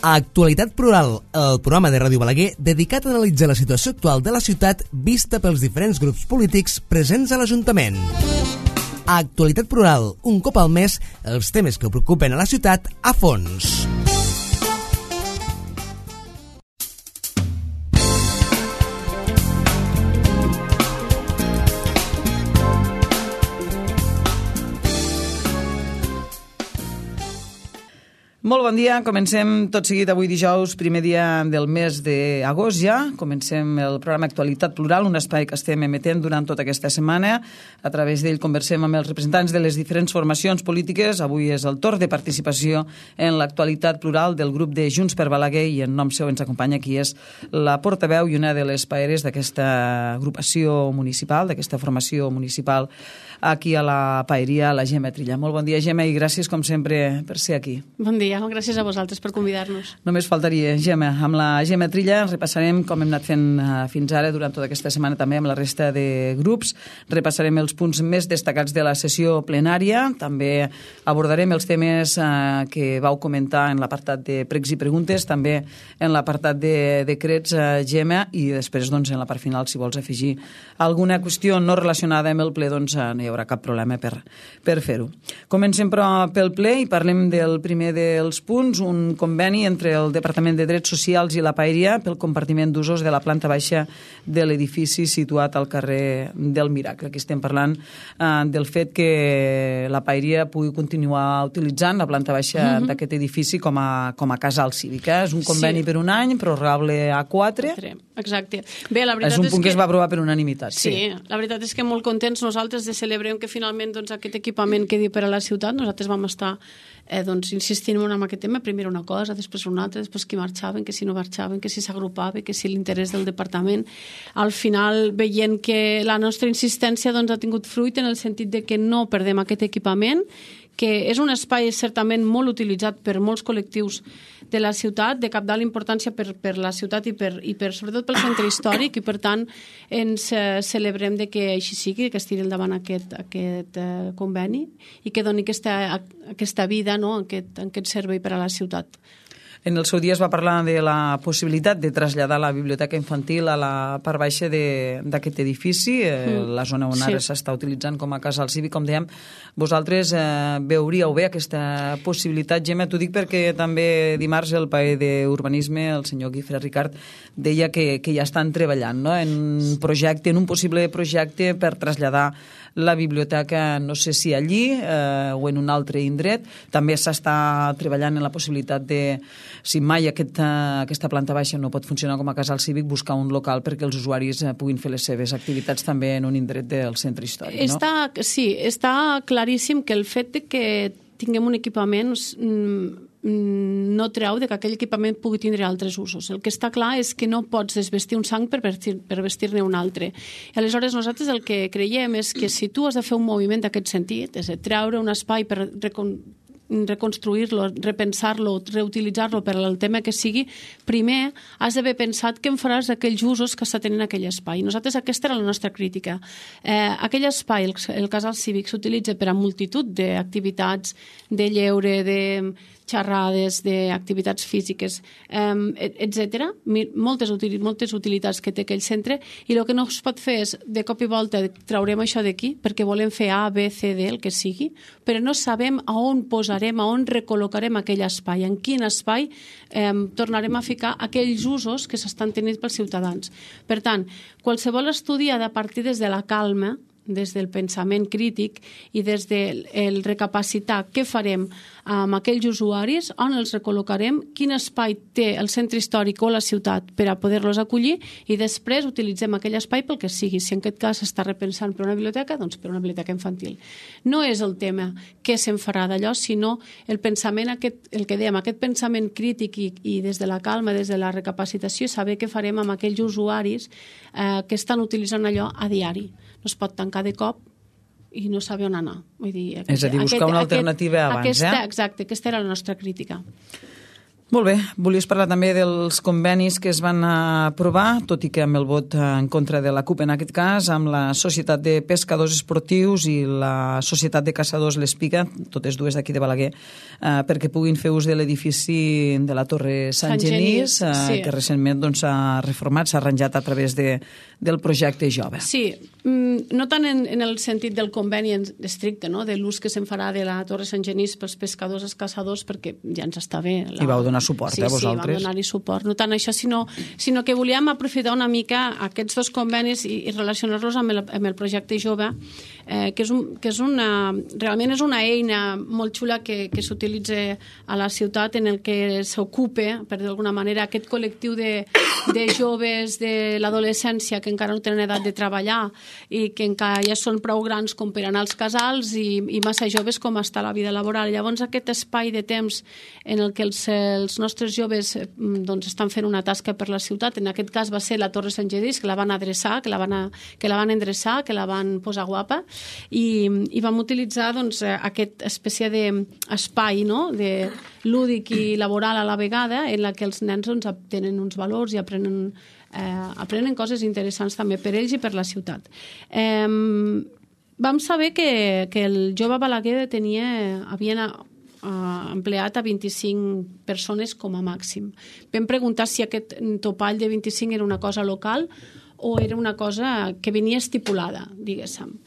Actualitat Plural, el programa de Ràdio Balaguer dedicat a analitzar la situació actual de la ciutat vista pels diferents grups polítics presents a l'Ajuntament. Actualitat Plural, un cop al mes, els temes que preocupen a la ciutat a fons. Molt bon dia, comencem tot seguit avui dijous, primer dia del mes d'agost ja. Comencem el programa Actualitat Plural, un espai que estem emetent durant tota aquesta setmana. A través d'ell conversem amb els representants de les diferents formacions polítiques. Avui és el torn de participació en l'Actualitat Plural del grup de Junts per Balaguer i en nom seu ens acompanya qui és la portaveu i una de les paeres d'aquesta agrupació municipal, d'aquesta formació municipal aquí a la paeria, la Gemma Trilla. Molt bon dia, Gemma, i gràcies, com sempre, per ser aquí. Bon dia, gràcies a vosaltres per convidar-nos. Només faltaria, Gemma. Amb la Gemma Trilla repassarem, com hem anat fent fins ara, durant tota aquesta setmana també amb la resta de grups. Repassarem els punts més destacats de la sessió plenària. També abordarem els temes que vau comentar en l'apartat de pregs i preguntes, també en l'apartat de decrets, Gemma, i després, doncs, en la part final, si vols afegir alguna qüestió no relacionada amb el ple, doncs no hi haurà cap problema per fer-ho. Comencem, però, pel ple i parlem del primer dels punts, un conveni entre el Departament de Drets Socials i la paeria pel compartiment d'usos de la planta baixa de l'edifici situat al carrer del Miracle. Aquí estem parlant del fet que la paeria pugui continuar utilitzant la planta baixa d'aquest edifici com a casal cívica. És un conveni per un any, prorrogable a 4. Exacte. Bé, la veritat és un punt que es va aprovar per unanimitat. Sí, la veritat és que molt contents nosaltres de celebrar que finalment aquest equipament quedi per a la ciutat. Nosaltres vam estar insistint en aquest tema, primer una cosa, després una altra, després qui marxaven, que si no marxaven, que si s'agrupaven, que si l'interès del departament. Al final, veient que la nostra insistència ha tingut fruit en el sentit de que no perdem aquest equipament, que és un espai certament molt utilitzat per molts col·lectius de la ciutat, de cabdal importància per la ciutat i sobretot pel centre històric, i per tant ens celebrem de que així sigui, que es tiri endavant aquest conveni i que doni aquesta vida, aquest servei per a la ciutat. En el seu dia es va parlar de la possibilitat de traslladar la biblioteca infantil a la part baixa d'aquest edifici, la zona on ara s'està utilitzant com a casal cívic, com dèiem. Vosaltres veuríeu bé aquesta possibilitat, Gemma? T'ho dic perquè també dimarts el paer d'Urbanisme, el senyor Guifré Ricard, deia que ja estan treballant en un possible projecte per traslladar la biblioteca, no sé si allí o en un altre indret. També s'està treballant en la possibilitat de, si mai aquesta planta baixa no pot funcionar com a casal cívic, buscar un local perquè els usuaris puguin fer les seves activitats també en un indret del centre històric, no? Sí, està claríssim que el fet de que tinguem un equipament no treu que aquell equipament pugui tindre altres usos. El que està clar és que no pots desvestir un sang per vestir-ne un altre. I aleshores nosaltres el que creiem és que si tu has de fer un moviment d'aquest sentit, és a dir, treure un espai per reconstruir-lo, repensar-lo, reutilitzar-lo per al tema que sigui, primer has d'haver pensat què en faràs d'aquells usos que està tenint aquell espai. Nosaltres aquesta era la nostra crítica. Aquell espai, el casal cívic, s'utilitza per a multitud d'activitats, de lleure, de xerrades, d'activitats físiques, etc. Moltes utilitats que té aquell centre, i el que no es pot fer és, de cop i volta, traurem això d'aquí perquè volem fer A, B, C, D, el que sigui, però no sabem a on posarem, a on recol·locarem aquell espai, en quin espai tornarem a ficar aquells usos que s'estan tenint pels ciutadans. Per tant, qualsevol estudi ha de partir des de la calma, des del pensament crític i des del recapacitar què farem amb aquells usuaris, on els recol·locarem, quin espai té el centre històric o la ciutat per a poder-los acollir, i després utilitzem aquell espai pel que sigui. Si en aquest cas s'està repensant per una biblioteca, doncs per una biblioteca infantil. No és el tema què se'n farà d'allò, sinó el pensament, el que dèiem, aquest pensament crític i des de la calma, des de la recapacitació, saber què farem amb aquells usuaris que estan utilitzant allò a diari. No es pot tancar de cop i no saber on anar. Vull dir, és a dir, buscar una alternativa abans. Exacte, aquesta era la nostra crítica. Molt bé, volies parlar també dels convenis que es van aprovar, tot i que amb el vot en contra de la CUP en aquest cas, amb la Societat de Pescadors Esportius i la Societat de Caçadors L'Espiga, totes dues d'aquí de Balaguer, perquè puguin fer ús de l'edifici de la Torre Sant Genís, sí, que recentment s'ha reformat, s'ha arranjat a través del projecte Jove. Sí, no tant en el sentit del conveni estricte, no? De l'ús que se'n farà de la Torre Sant Genís pels pescadors i els caçadors, perquè ja ens està bé. I vau donar suport, vosaltres. Sí, vam donar-hi suport. No tant això, sinó que volíem aprofitar una mica aquests dos convenis i relacionar-los amb el projecte Jove, que realment és una eina molt xula que s'utilitza a la ciutat, en el que s'ocupa, per d'alguna manera, aquest col·lectiu de joves de l'adolescència que encara no tenen edat de treballar i que encara ja són prou grans com per anar als casals i massa joves com està la vida laboral. Llavors, aquest espai de temps en el que els nostres joves estan fent una tasca per la ciutat, en aquest cas va ser la Torre Sant Genís, que la van adreçar, que la van endreçar, que la van posar guapa, i vam utilitzar aquesta espècie d'espai, no?, de lúdic i laboral a la vegada, en la que els nens tenen uns valors i aprenen coses interessants també per ells i per la ciutat. Vam saber que el Jove Balaguer havia empleat a 25 persones com a màxim. Vam preguntar si aquest topall de 25 era una cosa local o era una cosa que venia estipulada, diguéssim.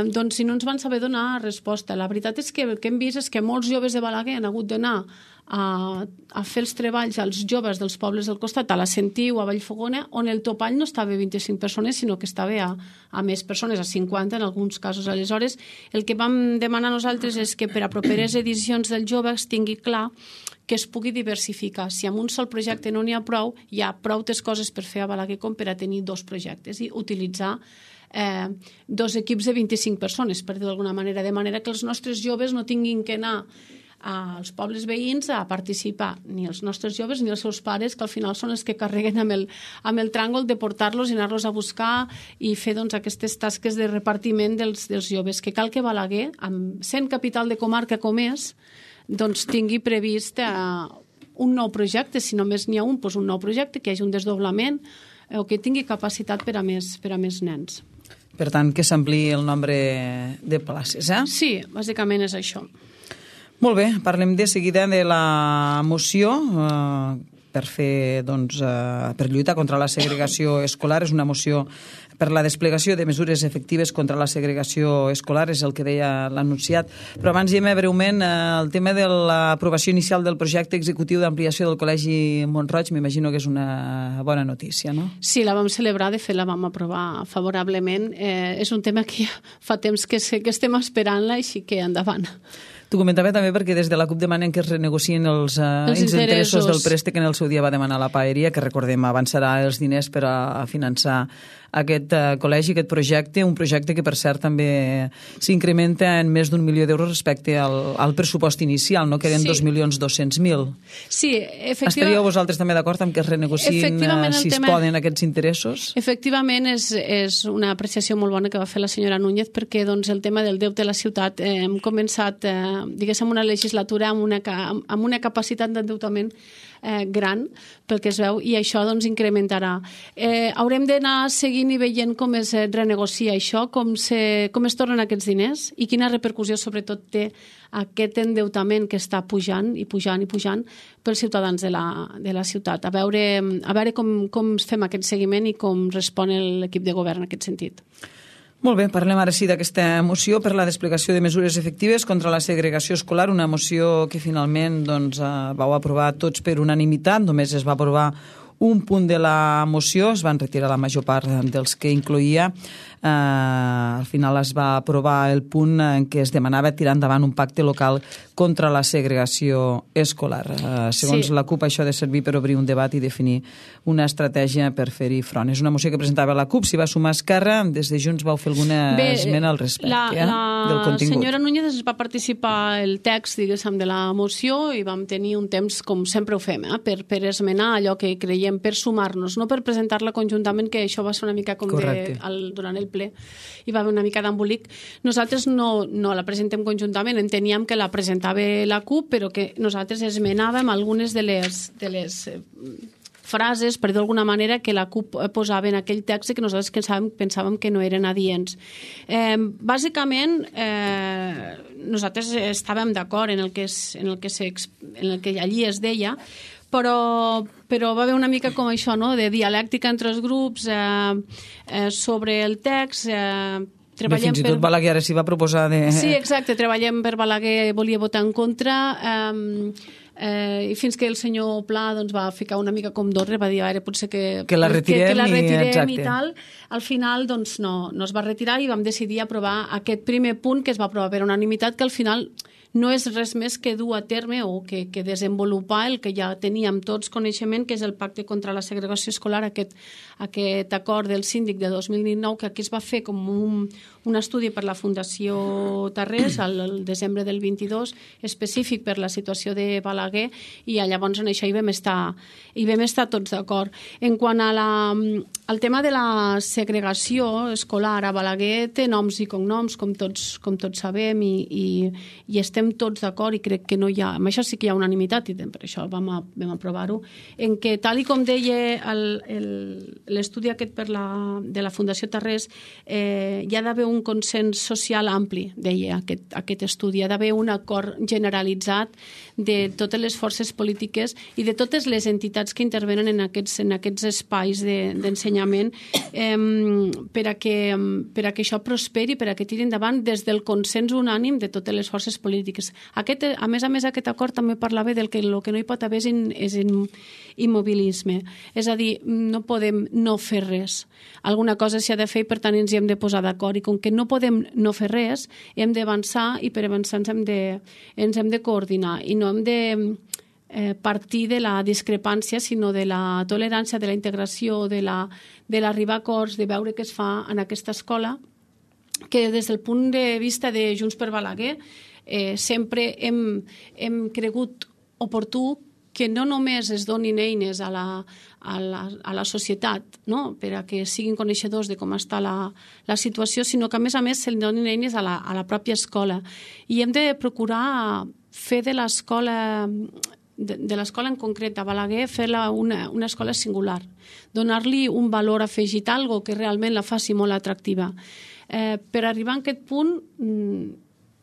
Doncs si no ens van saber donar resposta. La veritat és que el que hem vist és que molts joves de Balaguer han hagut d'anar a fer els treballs als joves dels pobles del costat, a la Sentiu, a Vallfogona, on el topall no estava a 25 persones, sinó que estava a més persones, a 50 en alguns casos. Aleshores, el que vam demanar nosaltres és que per a properes edicions del Jove es tingui clar que es pugui diversificar. Si amb un sol projecte no n'hi ha prou, hi ha prou coses per fer a Balaguer com per a tenir dos projectes i utilitzar dos equips de 25 persones, per dir d'alguna manera, de manera que els nostres joves no tinguin que anar als pobles veïns a participar, ni els nostres joves ni els seus pares, que al final són els que carreguen amb el tràngol de portar-los i anar-los a buscar i fer aquestes tasques de repartiment dels joves, que cal que Balaguer, sent capital de comarca com és, tingui previst un nou projecte, si només n'hi ha un nou projecte, que hi hagi un desdoblament o que tingui capacitat per a més nens. Per tant, que s'ampliï el nombre de places, eh? Sí, bàsicament és això. Molt bé, parlem de seguida de la moció per lluitar contra la segregació escolar. És una moció per la desplegació de mesures efectives contra la segregació escolar, és el que deia l'anunciat. Però abans diem breument el tema de l'aprovació inicial del projecte executiu d'ampliació del Col·legi Mont-roig. M'imagino que és una bona notícia, no? Sí, la vam celebrar, de fet la vam aprovar favorablement. És un tema que fa temps que estem esperant-la, així que endavant. T'ho comentava també perquè des de la CUP demanen que es renegocien els interessos del préstec que en el seu dia va demanar la Paeria, que recordem avançarà els diners per a finançar aquest col·legi, aquest projecte, un projecte que per cert també s'incrementa en més d'1 milió d'euros respecte al pressupost inicial, no? Que eren 2.200.000. Sí, efectivament. Estaríeu vosaltres també d'acord amb que es renegociïn si es poden aquests interessos? Efectivament, és una apreciació molt bona que va fer la senyora Núñez, perquè el tema del deute a la ciutat hem començat diguéssim una legislatura amb una capacitat d'endeutament gran, pel que es veu, i això incrementarà. Haurem d'anar seguint i veient com es renegocia això, com es tornen aquests diners i quina repercussió sobretot té aquest endeutament que està pujant i pujant i pujant pels ciutadans de la ciutat. A veure com fem aquest seguiment i com respon l'equip de govern en aquest sentit. Molt bé, parlem ara sí d'aquesta moció per la desplegació de mesures efectives contra la segregació escolar, una moció que finalment vau aprovar tots per unanimitat, només es va aprovar un punt de la moció, es van retirar la major part dels que incloïa. Al final es va aprovar el punt en què es demanava tirar endavant un pacte local contra la segregació escolar. Segons la CUP, això ha de servir per obrir un debat i definir una estratègia per fer-hi front. És una moció que presentava la CUP, s'hi va sumar Esquerra, des de Junts vau fer alguna esmena al respecte del contingut. La senyora Núñez va participar el text, diguéssim, de la moció i vam tenir un temps, com sempre ho fem, per esmenar allò que creiem, per sumar-nos, no per presentar-la conjuntament, que això va ser una mica com durant el ple hi va haver una mica d'embolic. Nosaltres no la presentem conjuntament, enteníem que la presentava la CUP, però que nosaltres esmenàvem algunes de les frases, per dir d'alguna manera, que la CUP posava en aquell text i que nosaltres pensàvem que no eren adients. Bàsicament, nosaltres estàvem d'acord en el que allí es deia, però va haver una mica com això, no?, de dialèctica entre els grups sobre el text. Fins i tot Balaguer ara s'hi va proposar de... Sí, exacte, treballem per Balaguer, volia votar en contra, i fins que el senyor Pla doncs, va ficar una mica com d'ordre, va dir ara potser que la retirem i tal. Al final doncs, no es va retirar i vam decidir aprovar aquest primer punt que es va aprovar per unanimitat, que al final no és res més que dur a terme o que desenvolupar el que ja teníem tots coneixement, que és el Pacte contra la Segregació Escolar, aquest acord del síndic de 2019, que aquí es va fer com un estudi per la Fundació Tarrés al desembre del 22, específic per la situació de Balaguer, i llavors en això hi vam estar tots d'acord. En quant al tema de la segregació escolar, a Balaguer té noms i cognoms, com tots sabem, i estem tots d'acord, i crec que no hi ha... Amb això sí que hi ha unanimitat, i per això vam aprovar-ho, en què, tal i com deia l'estudi aquest de la Fundació Tarrés, hi ha d'haver un consens social ampli, deia aquest estudi. Hi ha d'haver un acord generalitzat de totes les forces polítiques i de totes les entitats que intervenen en aquests espais d'ensenyament per a que això prosperi, per a que tiri endavant des del consens unànim de totes les forces polítiques. A més, aquest acord també parlava del que el que no hi pot haver és immobilisme. És a dir, no podem no fer res. Alguna cosa s'ha de fer i, per tant, ens hi hem de posar d'acord. I com que no podem no fer res, hem d'avançar, i per avançar ens hem de coordinar. I no hem de partir de la discrepància, sinó de la tolerància, de la integració, de l'arribar a acords, de veure què es fa en aquesta escola, que des del punt de vista de Junts per Balaguer sempre hem cregut oportú que no només es donin eines a la societat, no?, per a que siguin coneixedors de com està la situació, sinó que, a més, se li donin eines a la pròpia escola. I hem de procurar fer de l'escola en concret, a Balaguer, fer-la una escola singular, donar-li un valor afegit, algo que realment la faci molt atractiva. Per arribar a aquest punt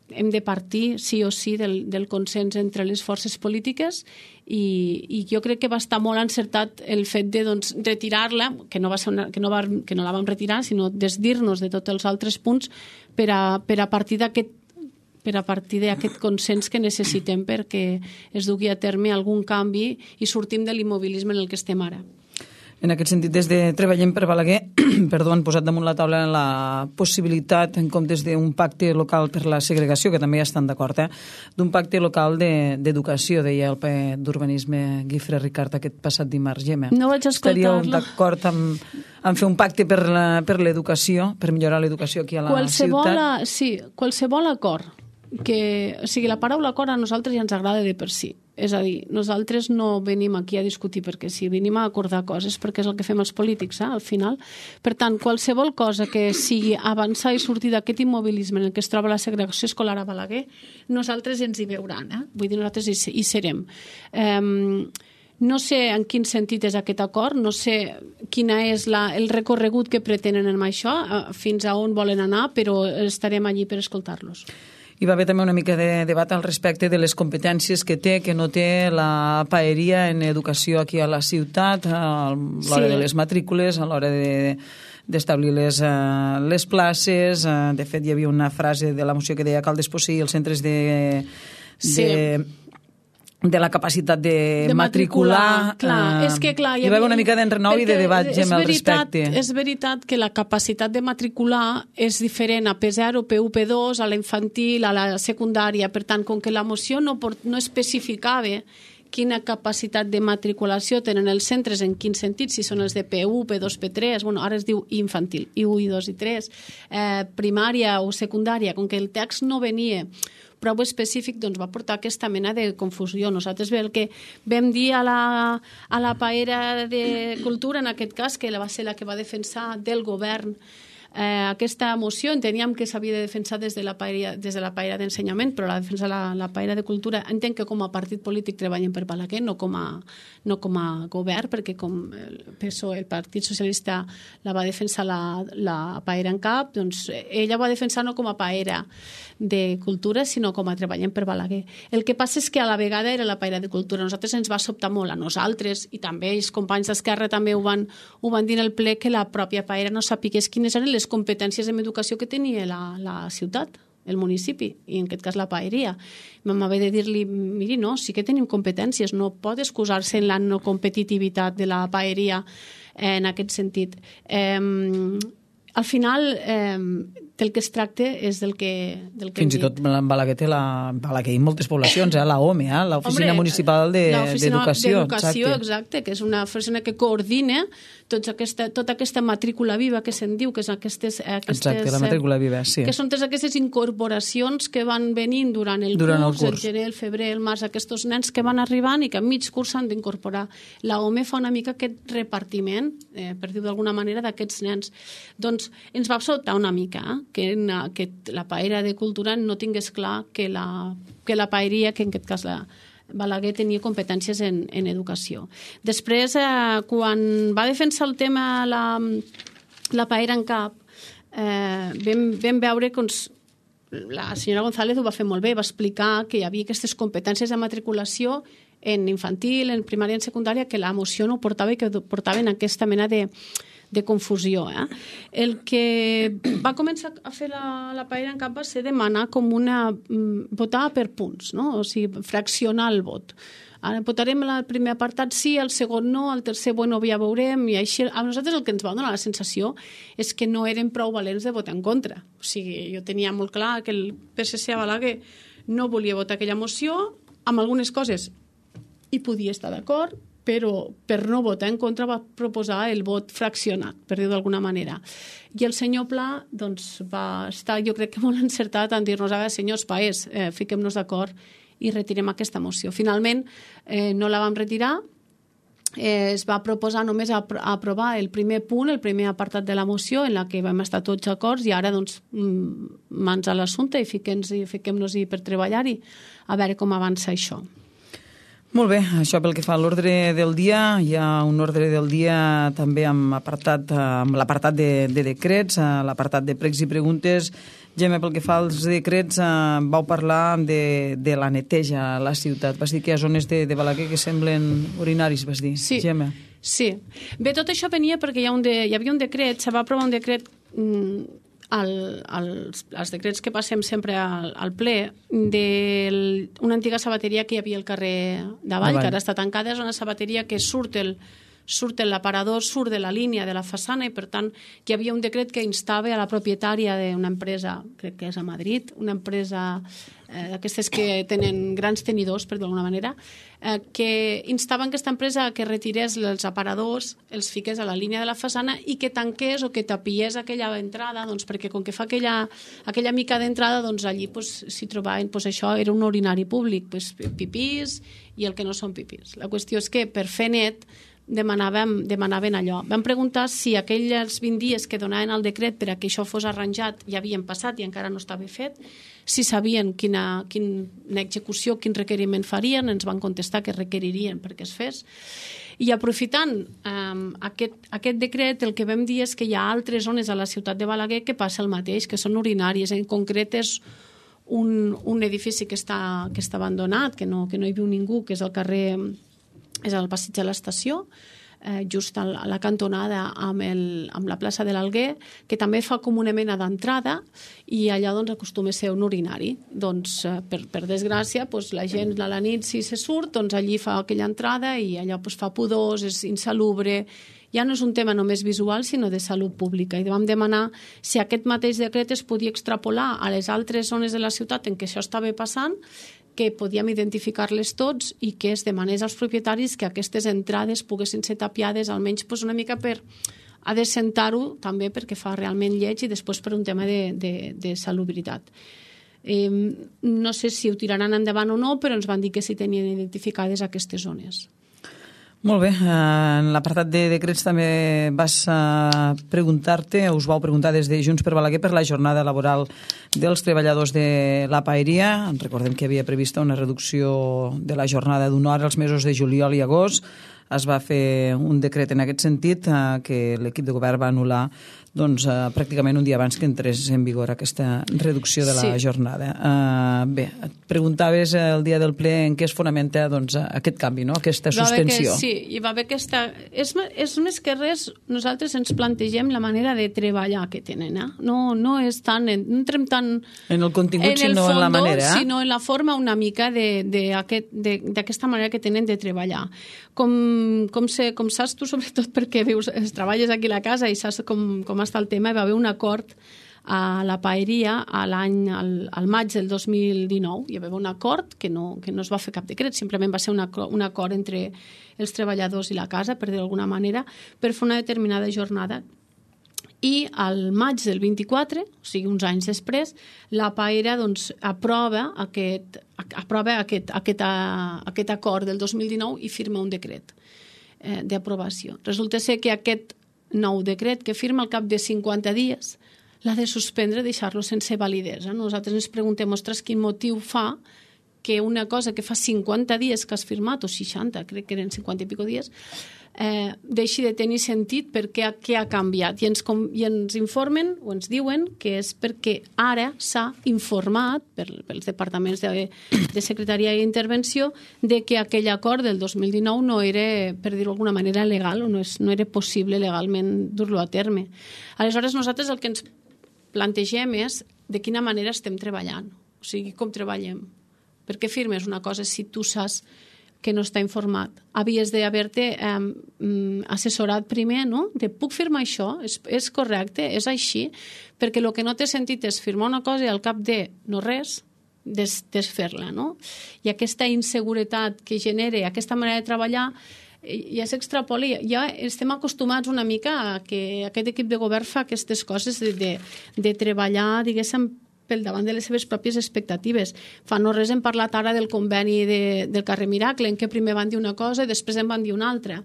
hem de partir sí o sí del consens entre les forces polítiques, i jo crec que va estar molt encertat el fet de retirar-la, que no la vam retirar, sinó desdir-nos de tots els altres punts per a partir d'aquest consens que necessitem perquè es dugui a terme algun canvi i sortim de l'immobilisme en el que estem ara. En aquest sentit, des de Treballem per Balaguer, han posat damunt la taula la possibilitat, en comptes d'un pacte local per la segregació, que també hi estan d'acord, d'un pacte local d'educació, deia el ple d'urbanisme Guifré Ricart aquest passat dimarts. Gemma, no vaig escoltar-lo. Estaríeu d'acord en fer un pacte per l'educació, per millorar l'educació aquí a la ciutat? Sí, qualsevol acord. O sigui, la paraula acord a nosaltres ja ens agrada de per si. És a dir, nosaltres no venim aquí a discutir perquè sí, venim a acordar coses perquè és el que fem els polítics, al final. Per tant, qualsevol cosa que sigui avançar i sortir d'aquest immobilisme en el que es troba la segregació escolar a Balaguer, nosaltres ens hi veuran. Vull dir, nosaltres hi serem. No sé en quin sentit és aquest acord, no sé quin és el recorregut que pretenen amb això, fins a on volen anar, però estarem allí per escoltar-los. Hi va haver també una mica de debat al respecte de les competències que té, que no té la paeria en educació aquí a la ciutat, a l'hora de les matrícules, a l'hora d'establir les places. De fet, hi havia una frase de la moció que deia cal desposseir els centres de la capacitat de matricular. Clar, és que clar... Hi va haver una mica d'enrenou i de debat, Gemma, al respecte. És veritat que la capacitat de matricular és diferent a P0, P1, P2, a la infantil, a la secundària. Per tant, com que la moció no especificava quina capacitat de matriculació tenen els centres, en quin sentit, si són els de P1, P2, P3, ara es diu infantil, I1, I2 i 3, primària o secundària, com que el text no venia prou específic, doncs va portar aquesta mena de confusió. Nosaltres el que vam dir a la paera de Cultura, en aquest cas, que va ser la que va defensar del govern aquesta moció enteníem que s'havia de defensar des de la paella d'ensenyament, però la defensa la paella de cultura entenc que com a partit polític treballem per Balaguer, no com a govern, perquè com el PSOE, el Partit Socialista, la va defensar la paella en cap, doncs ella va defensar no com a paella de cultura, sinó com a treballem per Balaguer. El que passa és que a la vegada era la paella de cultura. A nosaltres ens va sobtar molt, a nosaltres, i també els companys d'Esquerra també ho van dir en el ple, que la pròpia paella no sapigués quines eren les competències en educació que tenia la ciutat, el municipi, i en aquest cas la paeria. Vam haver de dir-li, miri, no, sí que tenim competències, no pot excusar-se en la no competitivitat de la paeria en aquest sentit. Al final, del que es tracta és del que fins i tot en Balaguer té Balaguer i moltes poblacions, la OME, l'Oficina Municipal d'Educació. Exacte, que és una oficina que coordina tota aquesta matrícula viva que se'n diu, que és aquestes... Exacte, la matrícula viva, sí. Que són totes aquestes incorporacions que van venint durant el curs, el gener, el febrer, el març, aquests nens que van arribant i que a mig curs s'han d'incorporar. La OME fa una mica aquest repartiment, per dir-ho d'alguna manera, d'aquests nens. Doncs ens va sobtar una mica, que la paella de cultura no tingués clar que la paeria, que en aquest cas Balaguer tenia competències en educació. Després, quan va defensar el tema la paella en cap, vam veure que la senyora González ho va fer molt bé, va explicar que hi havia aquestes competències de matriculació en infantil, en primària i en secundària, que la moció no portava i que portaven aquesta mena de confusió. El que va començar a fer la paella en cap va ser demanar com votar per punts, no? O sigui, fraccionar el vot. Ara votarem el primer apartat sí, el segon no, el tercer bueno, ja veurem, i així a nosaltres el que ens va donar la sensació és que no eren prou valents de votar en contra. O sigui, jo tenia molt clar que el PSC a Balaguer no volia votar aquella moció, amb algunes coses hi podia estar d'acord, però per no votar en contra va proposar el vot fraccionat, per dir-ho d'alguna manera. I el senyor Pla doncs, va estar, jo crec que molt encertat en dir-nos, ara, senyors paers, fiquem-nos d'acord i retirem aquesta moció. Finalment, no la vam retirar, es va proposar només aprovar el primer punt, el primer apartat de la moció, en la que vam estar tots d'acord, i ara, doncs, mans a l'assumpte i fiquem-nos-hi per treballar-hi, a veure com avança això. Molt bé, això pel que fa a l'ordre del dia. Hi ha un ordre del dia també amb l'apartat de decrets, l'apartat de pregs i preguntes. Gemma, pel que fa als decrets, vau parlar de la neteja a la ciutat. Vas dir que hi ha zones de Balaguer que semblen urinaris, vas dir, sí, Gemma. Sí. Bé, tot això venia perquè hi havia un decret, se va aprovar un decret els decrets que passem sempre al ple d'una antiga sabateria que hi havia al carrer d'Avall, que ara està tancada. És una sabateria que surt l'aparador, surt de la línia de la façana, i per tant hi havia un decret que instava a la propietària d'una empresa, crec que és a Madrid, una empresa d'aquestes que tenen grans tenidors, per d'alguna manera, que instaven aquesta empresa que retirés els aparadors, els fiqués a la línia de la façana i que tanqués o que tapiés aquella entrada, doncs, perquè com que fa aquella mica d'entrada, doncs allí s'hi trobaven, això era un urinari públic, pipís i el que no són pipís. La qüestió és que per fer net demanaven allò. Vam preguntar si aquells 20 dies que donaven el decret per a que això fos arranjat ja havien passat i encara no estava fet, si sabien quina execució, quin requeriment farien. Ens van contestar que requeririen perquè es fes. I aprofitant aquest decret, el que vam dir és que hi ha altres zones a la ciutat de Balaguer que passa el mateix, que són urinàries. En concret és un edifici que està abandonat, que no hi viu ningú, que és al passeig de l'estació, just a la cantonada amb la plaça de l'Alguer, que també fa com una mena d'entrada, i allà doncs acostuma a ser un urinari. Doncs, per desgràcia, la gent a la nit, si se surt, doncs allí fa aquella entrada i allò fa pudors, és insalubre. Ja no és un tema només visual, sinó de salut pública. I vam demanar si aquest mateix decret es podia extrapolar a les altres zones de la ciutat en què això estava passant, que podíem identificar-les tots i que es demanés als propietaris que aquestes entrades poguessin ser tapiades, almenys una mica per adecentar-ho, també perquè fa realment lleig i després per un tema de salubritat. No sé si ho tiraran endavant o no, però ens van dir que sí tenien identificades aquestes zones. Molt bé, en l'apartat de decrets també vas preguntar-te, us vau preguntar des de Junts per Balaguer per la jornada laboral dels treballadors de la paeria. Recordem que havia prevista una reducció de la jornada d'una hora els mesos de juliol i agost. Es va fer un decret en aquest sentit que l'equip de govern va anul·lar pràcticament un dia abans que entrés en vigor aquesta reducció de la jornada. Bé, et preguntaves el dia del ple en què es fonamenta aquest canvi, no? Aquesta suspensió. Hi va haver aquesta... És més que res, nosaltres ens plantegem la manera de treballar que tenen. No és tant... No entrem tant... En el contingut, sinó en la manera. Sinó en la forma una mica d'aquesta manera que tenen de treballar. Com saps tu, sobretot perquè treballes aquí a la casa i saps com està el tema, hi va haver un acord a la paeria al maig del 2019. Hi va haver un acord que no es va fer cap decret, simplement va ser un acord entre els treballadors i la casa, per dir d'alguna manera, per fer una determinada jornada. I al maig del 24, o sigui, uns anys després, la paera aprova aquest acord del 2019 i firma un decret d'aprovació. Resulta ser que aquest nou decret que firma al cap de 50 dies l'ha de suspendre, deixar-lo sense validesa. Nosaltres ens preguntem, ostres, quin motiu fa que una cosa que fa 50 dies que has firmat, o 60, crec que eren 50 i pico dies, deixi de tenir sentit perquè què ha canviat. I ens informen o ens diuen que és perquè ara s'ha informat pels departaments de secretaria i intervenció de que aquell acord del 2019 no era, per dir-ho d'alguna manera, legal o no era possible legalment dur-lo a terme. Aleshores, nosaltres el que ens plantegem és de quina manera estem treballant, o sigui, com treballem. Per què firmes una cosa si tu saps que no està informat? Havies d'haver-te assessorat primer, no? Puc firmar això? És correcte? És així? Perquè el que no té sentit és firmar una cosa i al cap de no res, desfer-la, no? I aquesta inseguretat que genera aquesta manera de treballar ja s'extrapola, ja estem acostumats una mica a que aquest equip de govern fa aquestes coses de treballar, diguéssim, pel davant de les seves pròpies expectatives. Fa no res hem parlat ara del conveni del carrer Miracle, en què primer van dir una cosa i després en van dir una altra.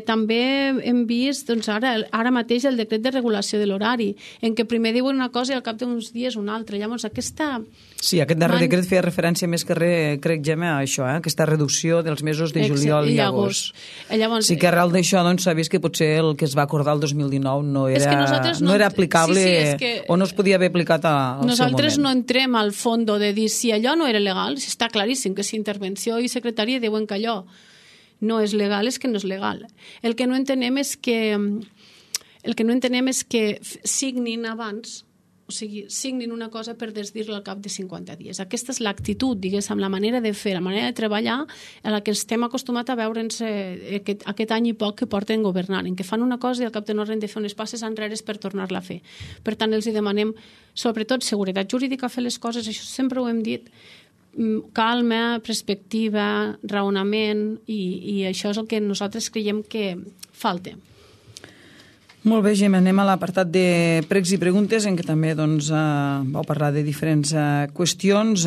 També hem vist ara mateix el decret de regulació de l'horari, en què primer diuen una cosa i al cap d'uns dies una altra. Llavors, aquesta... Sí, aquest darrer decret feia referència més que res, crec, Gemma, a això, aquesta reducció dels mesos de juliol i agost. Llavors, sí que arrel d'això s'ha vist que potser el que es va acordar el 2019 no era aplicable o no es podia haver aplicat al seu moment. Nosaltres no entrem al fons de dir si allò no era legal, si està claríssim que si intervenció i secretaria diuen que allò no és legal, és que no és legal. El que no entenem és que signin abans, o sigui, signin una cosa per desdir-la al cap de 50 dies. Aquesta és l'actitud, diguéssim, la manera de fer, la manera de treballar a la que estem acostumats a veure'ns aquest any i poc que porten governant, en què fan una cosa i al cap de no res de fer unes passes enrere per tornar-la a fer. Per tant, els demanem, sobretot, seguretat jurídica a fer les coses, això sempre ho hem dit, calma, perspectiva, raonament, i això és el que nosaltres creiem que falta. Molt bé, Gemma, anem a l'apartat de pregs i preguntes, en què també vau parlar de diferents qüestions.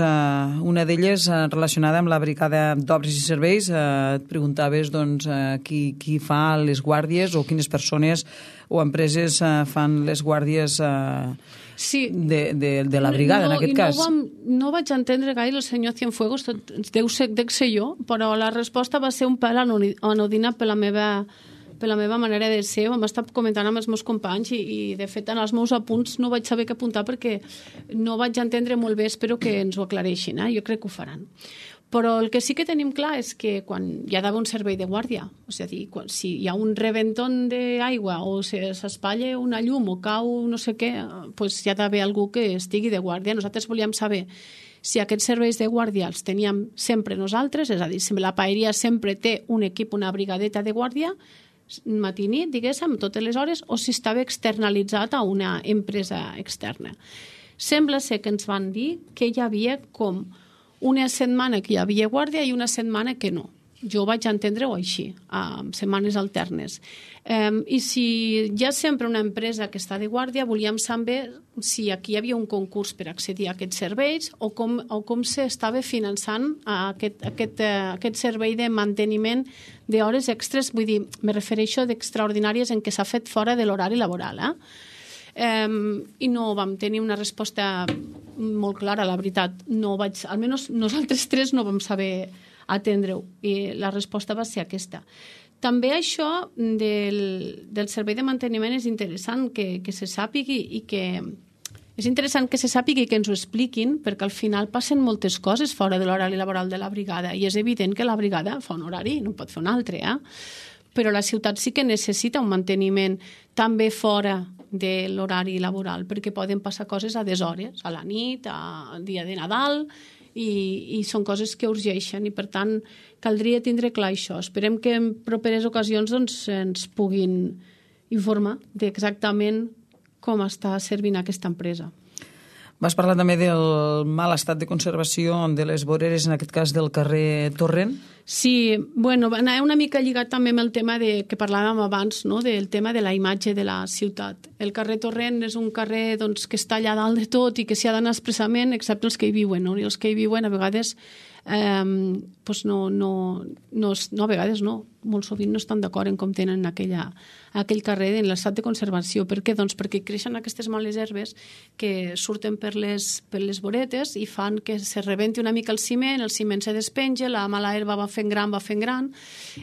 Una d'elles relacionada amb la brigada d'obres i serveis. Et preguntaves qui fa les guàrdies o quines persones o empreses fan les guàrdies de la brigada, en aquest cas. No vaig entendre gaire el senyor Cienfuegos, deu ser jo, però la resposta va ser un pèl anodina per la meva manera de ser. Ho hem estat comentant amb els meus companys i de fet, en els meus apunts no vaig saber què apuntar perquè no vaig entendre molt bé. Espero que ens ho aclareixin. Jo crec que ho faran. Però el que sí que tenim clar és que quan hi ha d'haver un servei de guàrdia, és a dir, si hi ha un reventón d'aigua o s'espatlla una llum o cau no sé què, doncs hi ha d'haver algú que estigui de guàrdia. Nosaltres volíem saber si aquests serveis de guàrdia els teníem sempre nosaltres, és a dir, si la paeria sempre té un equip, una brigadeta de guàrdia, matí i nit, diguéssim, totes les hores, o si estava externalitzat a una empresa externa. Sembla ser que ens van dir que hi havia com una setmana que hi havia guàrdia i una setmana que no. jo vaig entendre-ho així, amb setmanes alternes. I si hi ha sempre una empresa que està de guàrdia, volíem saber si aquí hi havia un concurs per accedir a aquests serveis o com s'estava finançant aquest servei de manteniment d'hores extres, vull dir, me refereixo d'extraordinàries en què s'ha fet fora de l'horari laboral, i no vam tenir una resposta molt clara, la veritat. Almenys nosaltres tres no vam saber atendre-ho, i la resposta va ser aquesta. També això del servei de manteniment és interessant que se sàpigui i que és interessant que se sàpigui i que ens ho expliquin, perquè al final passen moltes coses fora de l'horari laboral de la brigada, i és evident que la brigada fa un horari, no pot fer un altre, però la ciutat sí que necessita un manteniment també fora de l'horari laboral, perquè poden passar coses a deshores, a la nit, al dia de Nadal, i són coses que urgeixen, i per tant caldria tindre clar això. Esperem que en properes ocasions ens puguin informar d'exactament com està servint aquesta empresa. Vas parlar també del mal estat de conservació de les voreres, en aquest cas del carrer Torrent. Sí, bueno, anava una mica lligat també amb el tema que parlàvem abans, no? Del tema de la imatge de la ciutat. El carrer Torrent és un carrer que està allà dalt de tot i que s'hi ha d'anar expressament, excepte els que hi viuen, no? I els que hi viuen a vegades a vegades no, molt sovint no estan d'acord en com tenen aquell carrer en l'estat de conservació. Per què? Doncs perquè creixen aquestes males herbes que surten per les voretes i fan que se rebenti una mica el ciment se despenja, la mala herba va fent gran,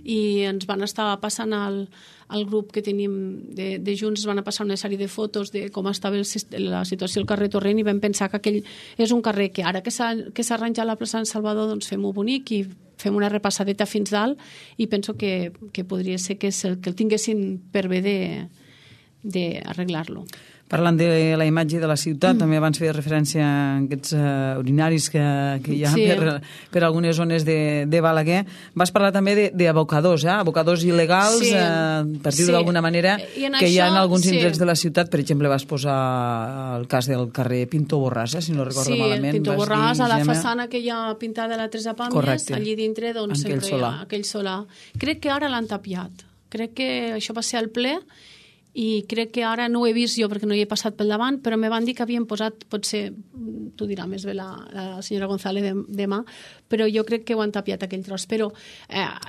i ens van estar passant al grup que tenim de Junts, van a passar una sèrie de fotos de com estava la situació al carrer Torrent, i vam pensar que aquell és un carrer que ara que s'ha arranjat la plaça Sant Salvador, doncs fem-ho bonic i fem una repassadeta fins dalt, i penso que podria ser que el tinguessin per bé d'arreglar-lo. Parlant de la imatge de la ciutat, també abans feia referència a aquests urinaris que hi ha per algunes zones de Balaguer. Vas parlar també d'abocadors, abocadors il·legals, per dir-ho d'alguna manera, que hi ha en alguns indrets de la ciutat. Per exemple, vas posar el cas del carrer Pinto Borràs, si no recordo malament. Sí, Pinto Borràs, a la façana que hi ha pintada a la Teresa Pàmies, allí dintre sempre hi ha aquell solar. Crec que ara l'han tapiat. Crec que això va ser al ple, i crec que ara no ho he vist jo perquè no hi he passat pel davant, però me van dir que havien posat, potser t'ho dirà més bé la senyora González demà, però jo crec que ho han tapiat aquell tros. Però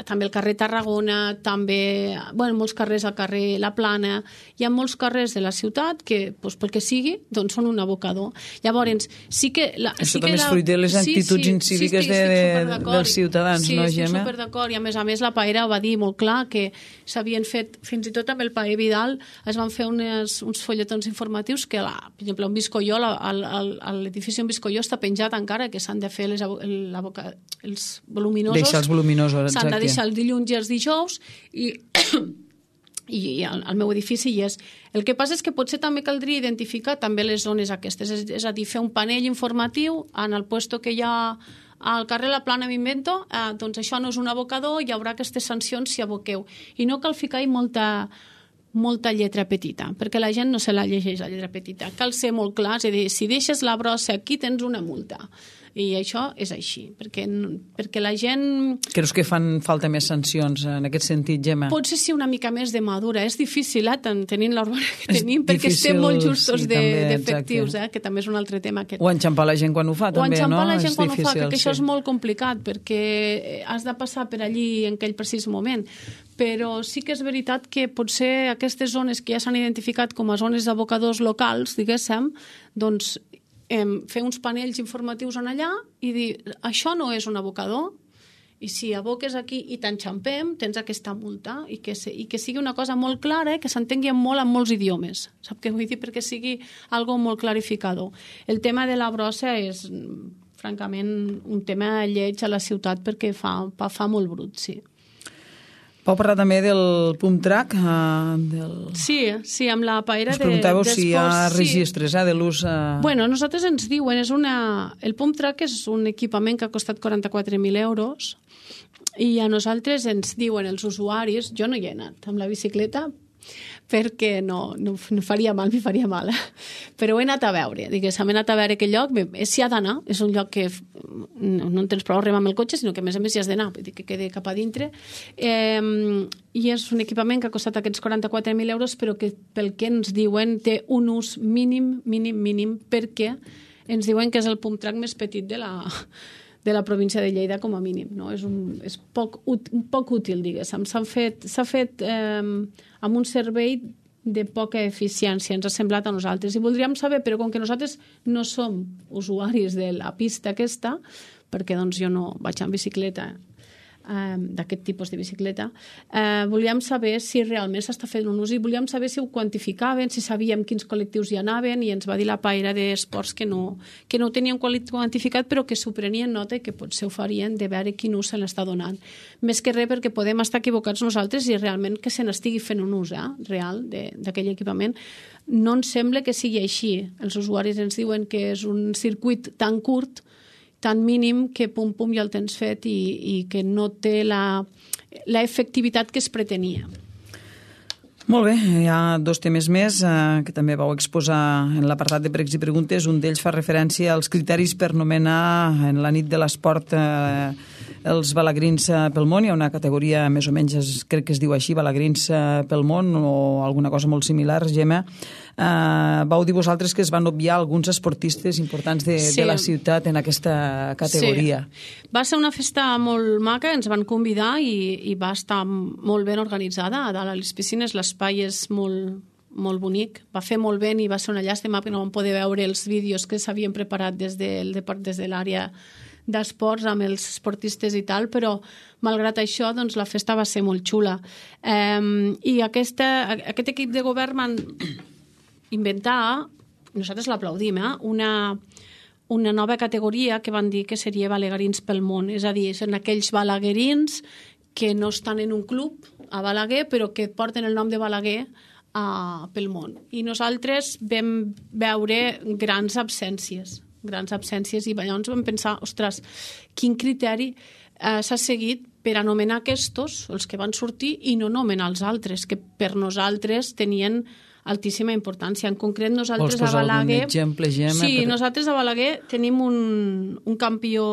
també el carrer Tarragona, també molts carrers al carrer La Plana, hi ha molts carrers de la ciutat que, pel que sigui, doncs són un abocador. Llavors, sí que... Això també és fruit de les actituds incíviques dels ciutadans, no, Gemma? Sí, estic superdd'acord, i a més la Paera va dir molt clar que s'havien fet, fins i tot amb el Paer Vidal, es van fer uns folletons informatius que, per exemple, un Viscolló, l'edifici on Viscolló està penjat encara, que s'han de fer els voluminosos. Deixar els voluminosos, exacte. S'han de deixar els dilluns i els dijous, i al meu edifici hi és. El que passa és que potser també caldria identificar també les zones aquestes, és a dir, fer un panell informatiu en el puesto que hi ha al carrer La Plana, m'invento, doncs això no és un abocador, hi haurà aquestes sancions si aboqueu. I no cal ficar-hi molta lletra petita, perquè la gent no se la llegeix, la lletra petita. Cal ser molt clar, és a dir, si deixes la brossa aquí tens una multa. I això és així, perquè la gent... Creus que fan falta més sancions en aquest sentit, Gemma? Potser sí una mica més de madura. És difícil, tenint l'urbana que tenim, perquè estem molt justos d'efectius, que també és un altre tema. O enxampar la gent quan ho fa, també, no? O enxampar la gent quan ho fa, que això és molt complicat, perquè has de passar per allí en aquell precís moment. Però sí que és veritat que potser aquestes zones que ja s'han identificat com a zones d'abocadors locals, diguéssim, doncs fer uns panells informatius en allà i dir, això no és un abocador, i si aboques aquí i t'enxampem, tens aquesta multa, i que sigui una cosa molt clara, que s'entengui molt en molts idiomes. Sap què vull dir? Perquè sigui algo molt clarificador. El tema de la brossa és, francament, un tema lleig a la ciutat perquè fa molt brut, sí. Pau parlar també del pump track? Sí, amb la paera us preguntàveu si hi ha registres de l'ús... Bueno, nosaltres ens diuen, el pump track és un equipament que ha costat 44.000 euros, i a nosaltres ens diuen els usuaris, jo no hi he anat amb la bicicleta, perquè no faria mal, m'hi faria mal. Però he anat a veure, diguéssim, he anat a veure aquell lloc, s'hi ha d'anar, és un lloc que no en tens prou a arribar amb el cotxe, sinó que a més hi has d'anar, vull dir que quedi cap a dintre. I és un equipament que ha costat aquests 44.000 euros, però que pel que ens diuen té un ús mínim, perquè ens diuen que és el pump track més petit de la província de Lleida com a mínim, no? És poc útil, diguéssim. S'ha fet amb un servei de poca eficiència, ens ha semblat a nosaltres. I voldríem saber, però com que nosaltres no som usuaris de la pista aquesta, perquè doncs, jo no vaig en bicicleta, d'aquest tipus de bicicleta, volíem saber si realment s'està fent un ús i volíem saber si ho quantificaven, si sabíem quins col·lectius hi anaven, i ens va dir la paira d'esports que no ho tenien quantificat, però que s'ho prenien nota i que potser ho farien de veure quin ús se n'està donant. Més que res perquè podem estar equivocats nosaltres i realment que se n'estigui fent un ús real d'aquell equipament. No ens sembla que sigui així. Els usuaris ens diuen que és un circuit tan curt, tan mínim, que pum ja el tens fet i que no té la efectivitat que es pretenia. Molt bé, hi ha 2 temes més que també vau exposar en l'apartat de pregs i preguntes. Un d'ells fa referència als criteris per nomenar en la nit de l'esport els balagrins pel món. Hi ha una categoria, més o menys, crec que es diu així, balagrins pel món, o alguna cosa molt similar, Gemma. Vau dir vosaltres que es van obviar alguns esportistes importants de la ciutat en aquesta categoria. Sí. Va ser una festa molt maca, ens van convidar i va estar molt ben organitzada. A dalt a les piscines l'espai és molt bonic, va fer molt bé i va ser una llàstima que no vam poder veure els vídeos que s'havien preparat des de l'àrea d'esports amb els esportistes i tal, però malgrat això doncs, la festa va ser molt xula. I aquest equip de govern van inventar, nosaltres l'aplaudim, una nova categoria que van dir que seria balaguerins pel món, és a dir, són aquells balaguerins que no estan en un club a Balaguer, però que porten el nom de Balaguer pel món. I nosaltres vam veure grans absències i llavors vam pensar, ostres, quin criteri s'ha seguit per anomenar aquests, els que van sortir, i no anomenar els altres, que per nosaltres tenien altíssima importància. En concret, nosaltres a Balaguer... Vols posar algun exemple, Gemma? Sí, nosaltres a Balaguer tenim un campió,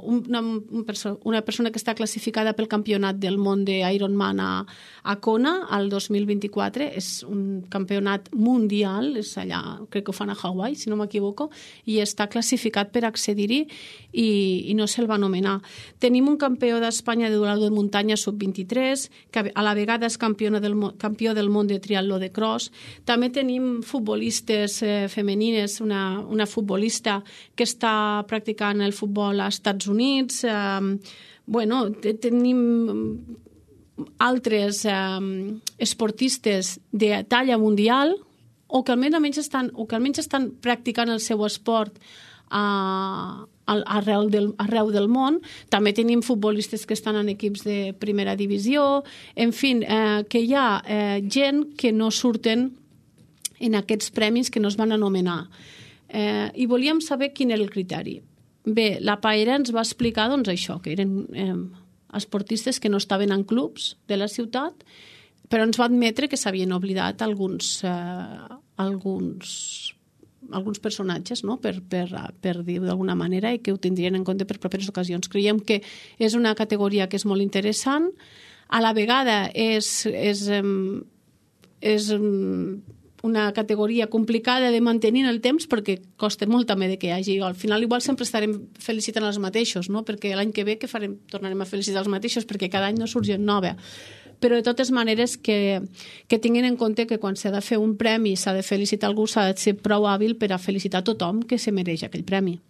una persona que està classificada pel campionat del món d'Ironman a Kona al 2024. És un campionat mundial, és allà, crec que ho fan a Hawaii, si no m'equivoco, i està classificat per accedir-hi i no se'l va anomenar. Tenim un campió d'Espanya de duatló de muntanya sub-23, que a la vegada és campió del món de triatló de cross. També tenim futbolistes femenines, una futbolista que està practicant el futbol als Estats Units. Tenim altres esportistes de talla mundial o que almenys estan practicant el seu esport arreu del món. També tenim futbolistes que estan en equips de primera divisió. En fi, que hi ha gent que no surten en aquests premis que no es van anomenar. I volíem saber quin era el criteri. Bé, la Paera ens va explicar doncs, això, que eren esportistes que no estaven en clubs de la ciutat, però ens va admetre que s'havien oblidat alguns personatges, no? per dir-ho d'alguna manera, i que ho tindrien en compte per properes ocasions. Creiem que és una categoria que és molt interessant, a la vegada és una categoria complicada de mantenir en el temps perquè costa molt també de que hi hagi. Al final igual sempre estarem felicitant els mateixos, no? Perquè l'any que ve tornarem a felicitar els mateixos perquè cada any no surt gent nova. Però de totes maneres que tinguin en compte que quan s'ha de fer un premi, s'ha de felicitar algú, s'ha de ser prou hàbil per a felicitar tothom que se mereix aquell premi.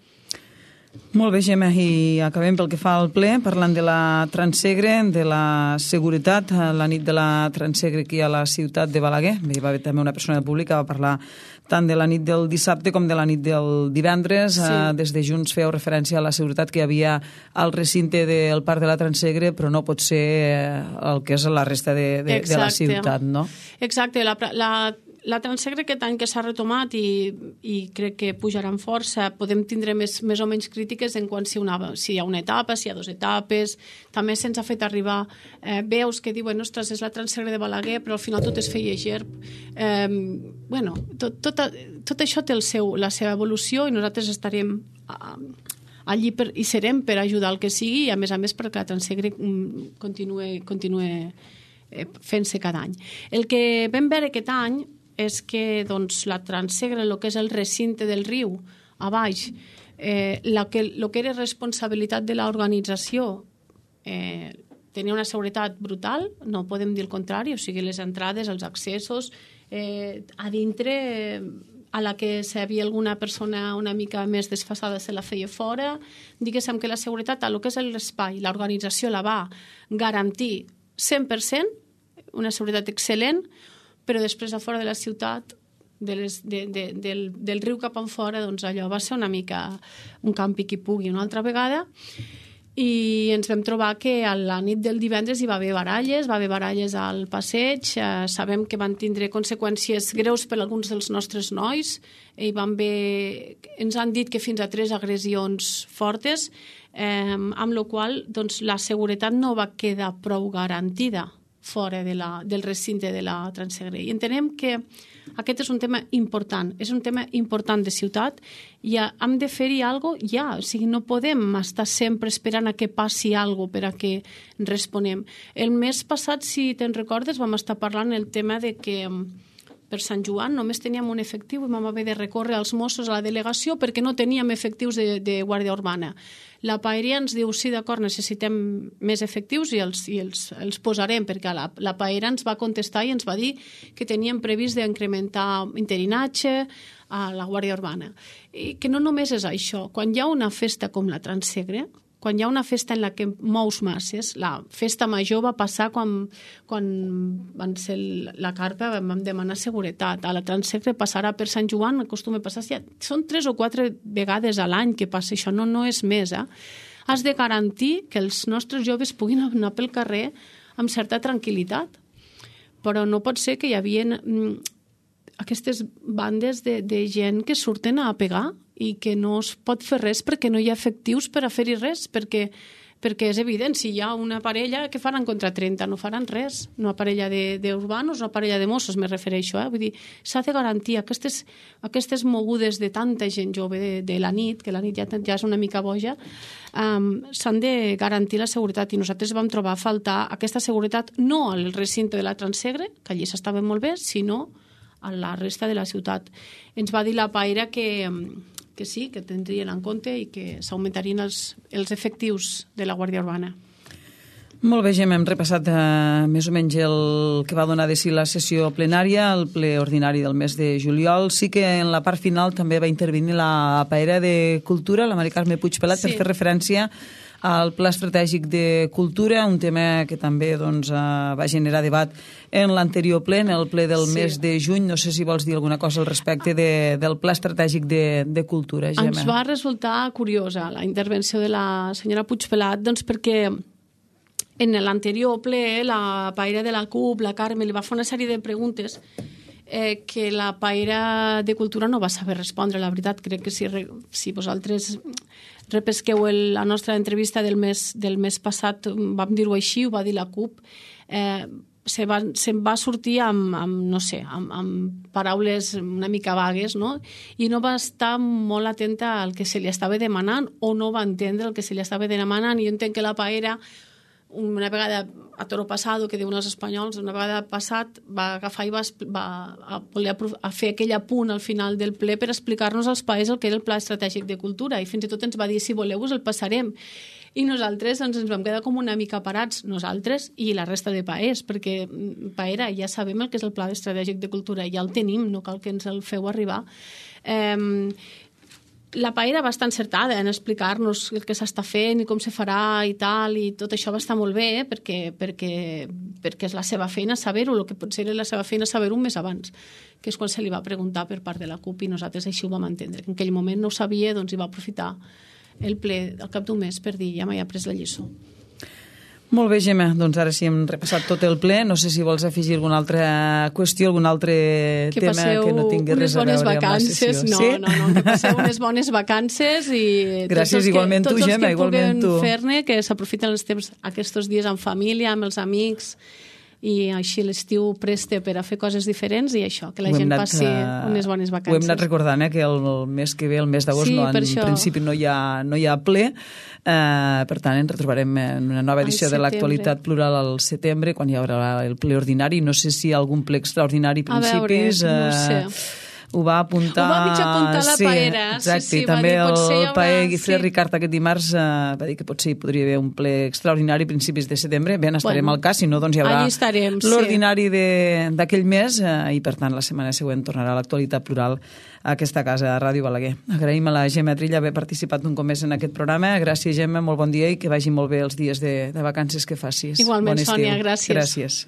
Molt bé, Gemma, i acabem pel que fa al ple, parlant de la Transsegre, de la seguretat, la nit de la Transsegre aquí a la ciutat de Balaguer. Hi va haver també una persona pública, va parlar tant de la nit del dissabte com de la nit del divendres. Sí. Des de Junts feu referència a la seguretat que hi havia al recinte del Parc de la Transsegre, però no pot ser el que és la resta de la ciutat, no? Exacte. La Transsegre aquest any que s'ha retomat i crec que pujarà en força, podem tindre més o menys crítiques en quant si hi ha una etapa, si hi ha 2 etapes. També se'ns ha fet arribar veus que diuen, ostres, és la Transsegre de Balaguer, però al final tot es feia Gerb. Tot això té la seva evolució i nosaltres estarem allí i serem per ajudar el que sigui i a més perquè la Transsegre continue fent-se cada any. El que vam veure aquest any és que la Transsegre, el que és el recinte del riu, a baix, el que era responsabilitat de l'organització, tenia una seguretat brutal, no podem dir el contrari, o sigui, les entrades, els accessos, a dintre, a la que si hi havia alguna persona una mica més desfasada se la feia fora, diguéssim que la seguretat, el que és l'espai, l'organització la va garantir 100%, una seguretat excel·lent, però després a fora de la ciutat, del riu cap enfora, doncs allò va ser una mica un campi qui pugui una altra vegada, i ens vam trobar que a la nit del divendres hi va haver baralles al passeig, sabem que van tindre conseqüències greus per a alguns dels nostres nois, ens han dit que fins a 3 agressions fortes, amb la qual cosa la seguretat no va quedar prou garantida fora del recinte de la Transsegre. I entenem que aquest és un tema important, de ciutat, i hem de fer-hi alguna cosa ja, o sigui, no podem estar sempre esperant a que passi alguna cosa per a que responem. El mes passat, si te'n recordes, vam estar parlant el tema de que per Sant Joan només teníem un efectiu i vam haver de recórrer als Mossos a la delegació perquè no teníem efectius de Guàrdia Urbana. La Paeria ens diu, sí, d'acord, necessitem més efectius i els posarem, perquè la Paera ens va contestar i ens va dir que teníem previst d'incrementar interinatge a la Guàrdia Urbana. I que no només és això. Quan hi ha una festa com la Transsegre, quan hi ha una festa en la que mous masses, la festa major va passar quan van ser la carpa, vam demanar seguretat. A la Transsegre passarà per Sant Joan, acostuma a passar, són 3 o 4 vegades a l'any que passa això, no és més. Has de garantir que els nostres joves puguin anar pel carrer amb certa tranquil·litat, però no pot ser que hi havia aquestes bandes de gent que surten a pegar i que no es pot fer res perquè no hi ha efectius per a fer-hi res, perquè és evident, si hi ha una parella que faran contra 30, no faran res, una parella d'urbanos, una parella de Mossos, me refereixo, vull dir, s'ha de garantir aquestes mogudes de tanta gent jove de la nit, que la nit ja és una mica boja, s'han de garantir la seguretat, i nosaltres vam trobar a faltar aquesta seguretat no al recinte de la Transsegre, que allí s'estava molt bé, sinó a la resta de la ciutat. Ens va dir la Paera que sí, que tindrien en compte i que s'augmentarien els efectius de la Guàrdia Urbana. Molt bé, Gemma, hem repassat més o menys el que va donar de si la sessió plenària, el ple ordinari del mes de juliol. Sí que en la part final també va intervenir la Paera de Cultura, la Mari Carme Puigpelat, per fer referència al Pla Estratègic de Cultura, un tema que també va generar debat en l'anterior ple, en el ple del mes de juny. No sé si vols dir alguna cosa al respecte del Pla Estratègic de Cultura, Gemma. Ens va resultar curiosa la intervenció de la senyora Puigpelat, doncs perquè en l'anterior ple la Paera de la CUP, la Carme, li va fer una sèrie de preguntes que la Paera de Cultura no va saber respondre. La veritat, crec que si vosaltres repesqueu la nostra entrevista del mes passat, vam dir-ho així, ho va dir la CUP, se'n va sortir amb paraules una mica vagues, no? I no va estar molt atenta al que se li estava demanant o no va entendre el que se li estava demanant. I jo entenc que la Paera, una vegada a toro passado, que diuen els espanyols, una vegada passat va agafar i va voler fer aquell apunt al final del ple per explicar-nos als paers el que era el Pla Estratègic de Cultura, i fins i tot ens va dir, si voleu us el passarem. I nosaltres ens vam quedar com una mica parats, nosaltres i la resta de paers, perquè Paera, ja sabem el que és el Pla Estratègic de Cultura, ja el tenim, no cal que ens el feu arribar. La Paera va estar encertada en explicar-nos el que s'està fent i com se farà i tal, i tot això va estar molt bé perquè és la seva feina saber-ho, el que potser era la seva feina saber-ho un mes abans, que és quan se li va preguntar per part de la CUP, i nosaltres així ho vam entendre. En aquell moment no ho sabia, doncs hi va aprofitar el ple al cap d'un mes per dir, ja m'he après la lliçó. Molt bé, Gemma, doncs ara sí hem repassat tot el ple. No sé si vols afegir alguna altra qüestió, algun altre tema que no tingui res a veure amb la sessió. No, que passeu unes bones vacances i gràcies, igualment tu, Gemma, igualment tu. Tots els que puguen fer-ne, que s'aprofiten els temps aquests dies amb família, amb els amics, i així l'estiu presta per a fer coses diferents i això, que la gent passi unes bones vacances. Ho hem anat recordant, que el mes que ve, el mes d'agost, en principi no hi ha ple, per tant ens retrobarem en una nova edició de l'Actualitat Plural al setembre, quan hi haurà el ple ordinari. No sé si hi ha algun ple extraordinari a principis. A veure, no sé. Ho va apuntar... Ho va mig apuntar la Paera. Exacte, sí, i també el Paer Guifré Ricard aquest dimarts va dir que potser hi podria haver un ple extraordinari a principis de setembre. Bé, estarem al cas, si no, doncs hi haurà l'ordinari d'aquell mes i, per tant, la setmana següent tornarà l'Actualitat Plural a aquesta casa, a Ràdio Balaguer. Agraïm a la Gemma Trilla haver participat un cop més en aquest programa. Gràcies, Gemma, molt bon dia i que vagi molt bé els dies de vacances que facis. Igualment, Sònia, gràcies. Gràcies.